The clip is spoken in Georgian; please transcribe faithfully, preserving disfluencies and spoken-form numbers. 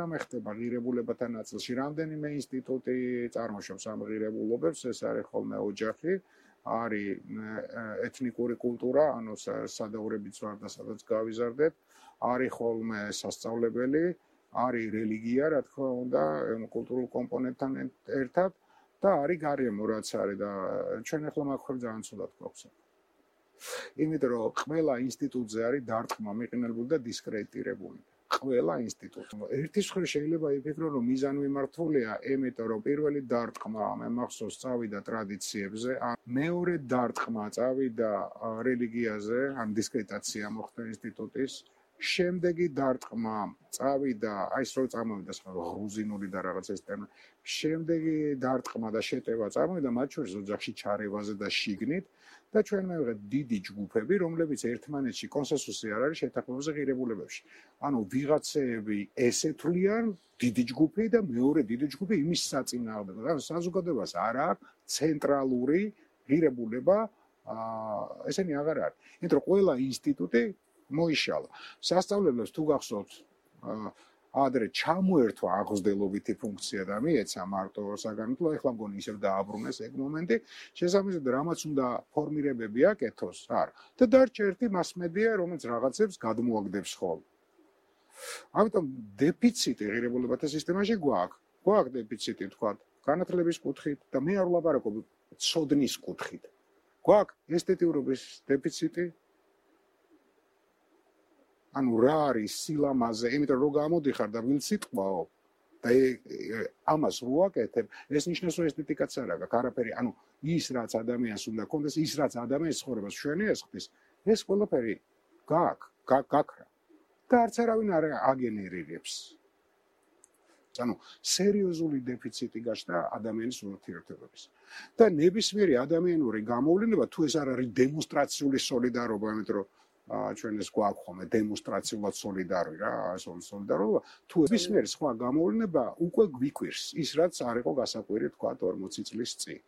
რამე ხდება ღირებულებათა ნაწილში, რამდენიმე ინსტიტუტი წარმოშობს ამ ღირებულობებს, ეს არის ხოლმე ოჯახი, არის ეთნიკური კულტურა, ანუ სადაურებით ვარ და სადაც გავიზარდეთ, არის ხოლმე სასწავლებელი, არის რელიგია, რა თქმა უნდა, კულტურულ კომპონენტთან ერთად და არის გარემო, რაც არის და ჩვენ ახლა მაგ ხარ ძალიან ცუდად გვაქვს. იმიტომ რომ ყველა ინსტიტუტზე არის დარტყმა მიყენებული და დისკრედიტირებული. ყველა ინსტიტუტი. ერთის მხრივ შეიძლება იფიქრონ, რომ მიზანმიმართულია, იმიტომ რომ პირველი დარტყმა მე მახსოვს წავიდა ტრადიციებზე, მეორე დარტყმა წავიდა რელიგიაზე, ან დისკრედიტაცია მოხდა ინსტიტუტის. შემდეგი დარტყმა წავიდა, აი ეს რო წამოვიდა სხვა გრუზინული და რაღაც ეს ტერმინი. შემდეგი დარტყმა და შეტევა წამოვიდა მათ შორის ოჯახში ჩარევაზე და შიგნით და ჩვენ მივიღეთ დიდი ჯგუფები, რომლებიც ერთმანეთში კონსენსუსი არ არის შეთანხმებაზე ღირებულებებში. ანუ ვიღაცეები ესეთვლიან დიდი ჯგუფი და მეორე დიდი ჯგუფი იმის საწინააღმდეგოდ. ანუ საზოგადოებას არ აქვს ცენტრალური ღირებულება, აა ესენი აღარ არის. იმიტომ რომ ყველა ინსტიტუტი მოიშალა. სასწავლებლებს თუ გახსოვთ, ადრე ჩამოერთვა აღზრდილობითი ფუნქცია და მიეცა მარტო საგანმანათლებლო, ეხლა მგონი ისევ დააბრუნეს ეგ მომენტი, შესაბამისად რამაც უნდა ფორმირებები აკეთოს, არა. და დარჩა ერთი მასმედია, რომელიც რაღაცებს გადმოაგდებს ხოლმე. ამიტომ დეფიციტი ღირებულებათა სისტემაში გვაქვს. გვაქვს დეფიციტი, თქვა, განათლების კუთხით და მე არ ვლაპარაკობ ცოდნის კუთხით. გვაქვს ესთეტიურობის დეფიციტი. ანუ რა არის სილამაზე, იმიტომ რომ გამოდიხარ და ვილ სიტყვაო და ამას ვუაკეთებ, ეს ნიშნავს რომ ესთეტიკაც არ აქვს, არაფერი, ანუ ის რაც ადამიანს უნდა კონდეს, ის რაც ადამიანის ცხოვრებას მშვენიერ ხდის, ეს ყველაფერი გაქვს, გაქრა. და არც არავინ არ აგენერირებს. ანუ სერიოზული დეფიციტი გაჩნდა ადამიანის ურთიერთობების. და ნებისმიერი ადამიანური გამოვლინება თუ ეს არ არის დემონსტრაციული სოლიდარობა, იმიტომ რომ ჩვენ ეს გვაქვს ხოლმე დემონსტრაციულად სოლიდარული რა, სოლიდარობა, თუ ნებისმიერი სხვა გამოვლინება უკვე გვიკვირს, ის რაც არ იყო გასაკვირი თქვა ორმოცი წლის წინ.